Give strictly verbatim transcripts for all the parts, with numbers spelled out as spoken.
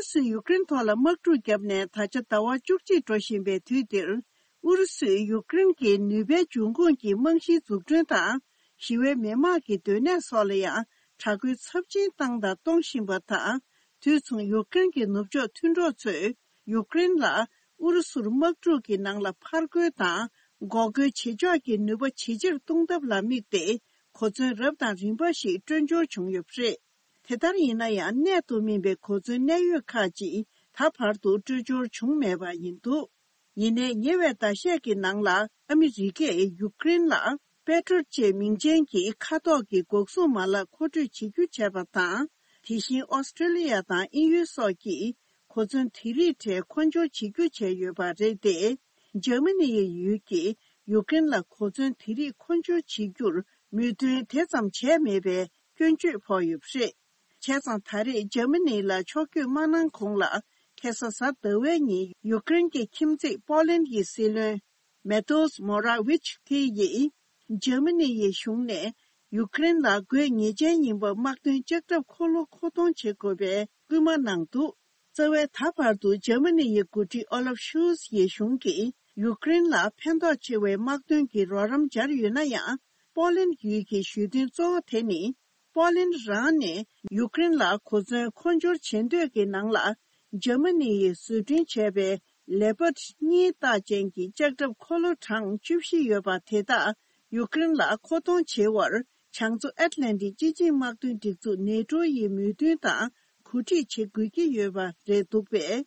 སུས་ཡུཀ་རེན་ཐོག་ལ་དམག་འཁྲུག་བརྒྱབ་ནས་ད་ཆ་ཟླ་བ་བཅུ་གཅིག་འགྲོ་བཞིན་པའི་དུས་འདིར། ཨུ་རུ་སུས་ཡུཀ་རེན་གྱི་ནུས་པའི་འབྱུང་ཁུངས་ཀྱི་རྨང་གཞིའི་འཛུགས་སྐྲུན་དང་། ཞི་བའི་མི་དམངས་ཀྱི་སྡོད་གནས་སོགས་ལ་ཡང་དྲག་རྒོལ་ཚབས་ཆེན་བཏང་དང་གཏོང་བཞིན་པ་དང་། དུས་མཚུངས་ཡུཀ་རེན་གྱི་ནུབ་ཕྱོགས་མཐུན་གྲོགས་ཚོས་ཡུཀ་རེན་ལ་ཨུ་རུ་སུར་དམག་འཁྲུག་གི་ནང་ལ་ཕར་རྒོལ་དང་འགོག་རྒོལ་བྱེད་ཕྱོགས་ཀྱི་ནུས་པ་ཇེ་ཆེར་གཏོང་ཐབས་ལ་དམིགས་ཏེ། གོ་མཚོན་རབ་དང་རིམ་པ་ཞིག་སྤྲོད་འབྱོར་བྱུང་ཡོད་པ་རེད། དེ་ལྟར་ཡིན་ན་ཡང་། གནད་དུ་སྨིན་པའི་གོ་མཚོན་གནད་ཡོད་ཁག་ཅིག་ད་བར་དུ་སྤྲོད་འབྱོར་བྱུང་མེད་པ་ཡིན་འདུག་ཡིན་ནའི་ཉེ་བའི་ཟླ་ཤས་ཀྱི་ནང་ལ་ཨ་མི་རི་ཀས་ཡུཀ་རེན་ལ་པེ་ཏྲོ་ཅེས་མིང་ཅན་གྱི་མཁའ་ཐོག་གི་འགོག་སྲུང་མ་ལག་མཁོ་སྤྲོད་བྱེད་རྒྱུ་བྱས་པ་དང་། དེ་བཞིན་ཨོ་སི་ཀྲི་ལི་ཡ་དང་དབྱིན་ཡུལ་སོགས་ཀྱིས་གོ་མཚོན་དེ་རིགས་གྲས་མཁོ་སྦྱོར་བྱེད་རྒྱུ་བྱས་ཡོད་པ་རེད་དེ། འཇར་མ་ནི་ཡི་ཡུལ་གྱིས་ཡུཀ་རེན་ལ་གོ་མཚོན་དེ་རིགས་མཁོ་སྦྱོར་བྱེད་རྒྱུར་མོས་མཐུན་དེ་ཙམ་བྱས་མེད་པའི་སྐྱོན་བརྗོད་ཕོག་ཡོད་པ་རེད། བྱས་ཙང་ད་རེས་འཇར་མ་ནི་ལ་ཕྱོགས་བསྐྱོད་མ་གནང་གོང་ལ། ཁ་སང་གཟའ་ཟླ་བའི་ཉིན་ཡུཀ་རེན་གྱི་ཁྱིམ་མཚེས་པོ་ལན་ཡི་སྲིད་བློན་མེ་ཏོས་མོ་ར་ཝིཆ་ཁི་ཡིས་འཇར་མ་ནི་ཡི་གཞུང་ནས་ཡུཀ་རེན་ལ་དགོས་ངེས་ཅན་ཡིན་པ་དམག་དོན་ལྕགས་ཁྲབ་འཁོར་ལོ་མཁོ་གཏོང་བྱེད་དགོས་པའི་སྐུལ་མ་གནང་འདུག་རྩ་བའི་ད་བར་དུ་འཇར་མ་ནི་ཡི་འགོ་ཁྲིད་ཨོ་ལབ་ཤོལ་ཚ་ཡི་གཞུང་གིས་ཡུཀ་རེན་ལ་ཕན་ཐོགས་ཆེ་བའི་དམག་དོན་གྱི་རོགས་རམ་སྦྱར་ཡོད་ན་ཡང་། པོ་ལན་ཡུལ་གྱི་ཞུ་འདུན་གཙོ་བོ་དེ་ནི། པོ་ལན་རང་ནས་ཡུཀ་རེན་ལ་གོ་མཚོན་མཁོ་སྦྱོར་བྱེད་འདོད་ཀྱི་ནང་ལ། འཇར་མ་ནི་ཡིས་བཟོ་སྐྲུན་བྱས་པའི་ལེ་པར་གཉིས་རྟགས་ཅན་གྱི་ལྕགས་ཁྲབ་འཁོར་ལོ་གྲངས་བཅུ་བཞི་ཡོད་པ་དེ་དག་ཡུཀ་རེན་ལ་མཁོ་གཏོང་བྱེད་པར་བྱང་མཚོ་ཨེཊ་ལན་ཊིག་སྤྱི་ཆིངས་དམག་དོན་སྒྲིག་འཛུགས་ནེ་ཏྲོ་ཡི་མོས་མཐུན་དང་གོ་སྒྲིག་བྱེད་དགོས་ཀྱི་ཡོད་པ་རེད་འདུག་པས།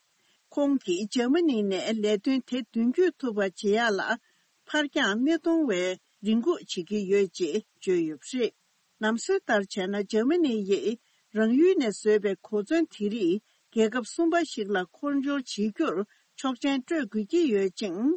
ཁོང་གིས་འཇར་མ་ནི་ནས་ལས་དོན་དེ་མདུན་སྐྱོད་ཐུབ་པ་བྱེད་ཡག་ལ་ཕར་འགྱངས་མི་གཏོང་བའི་རེ་སྒུག་བྱེད་ཀྱི་ཡོད་ཅེས་བརྗོད་ཡོད་པ་རེད། ལམ་སྲོལ་ལྟར་བྱས་ན། འཇར་མ་ནི་ཡིས་རང་ཡུལ་ནས་བཟོས་པའི་གོ་མཚོན་དེ་རིགས་རྒྱལ་ཁབ་གསུམ་པ་ཞིག་ལ་མཁོ་སྦྱོར་བྱེད་རྒྱུར་ཆོག་མཆན་སྤྲོད་དགོས་ཀྱི་ཡོད་ཅིང་།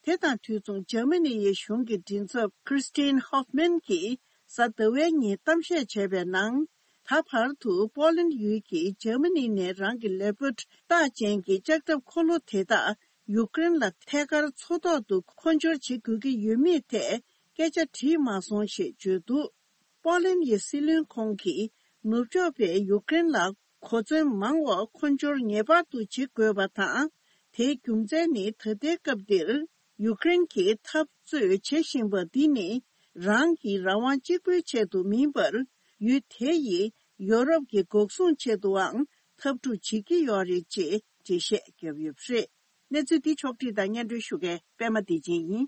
དེ་དང་དུས་མཚུངས་འཇར་མ་ནི་ཡི་གཞུང་གི་མགྲིན་ཚབ་Christian Hoffmann གྱིས་གཟའ་ཟླ་བའི་ཉིན་གཏམ་བཤད་བྱས་པའི་ནང་། ད་བར་དུ་པོ་ལན་ཡུལ་གྱིས་འཇར་མ་ནི་ནས་རང་གི་ལེ་པར་རྟགས་ཅན་གྱི་ལྕགས་ཁྲབ་འཁོར་ལོ་དེ་དག་ཡུཀ་རེན་ལ་ཐད་ཀར་མཚོ་ཐོག་ཏུ་མཁོ་སྦྱོར་བྱེད་དགོས་ཀྱི་ཡོད་མེད་ཐད་སྐད་ཆ་དྲིས་མ་སོང་ཞེས་བརྗོད་འདུག་པོ་ལན་ཡི་སྲིད་བློན་ཁོང་གིས་ནུབ་ཕྱོགས་པས་ཡུཀ་རེན་ལ་གོ་མཚོན་མང་བ་མཁོ་སྦྱོར་ངེས་པར་དུ་བྱེད་དགོས་པ་དང་། དེའི་རྒྱུ་མཚན་ནི་ད་ལྟའི་སྐབས་འདིར་ཡུཀ་རེན་གྱིས་འཐབ་རྩོད་བྱེད་བཞིན་པ་འདི་ནི་རང་གི་རང་དབང་གཅིག་པུའི་ཆེད་དུ་མིན་པར། ཡུལ་དེ་ཡིས་ཡོ་རོབ་ཀྱི་འགོག་སྲུང་ཆེད་དུའང་འཐབ་འཁྲུག་བྱེད་ཀྱི་ཡོད་རེད་ཅེས་འགྲེལ་བཤད་བརྒྱབ་ཡོད་པ་རེད། གནས་ཚུལ་འདི་ཕྱོགས་བསྒྲིགས་དང་སྙན་སྒྲོན་ཞུ་མཁན་པད་མ་བདེ་ཆེན་ཡིན།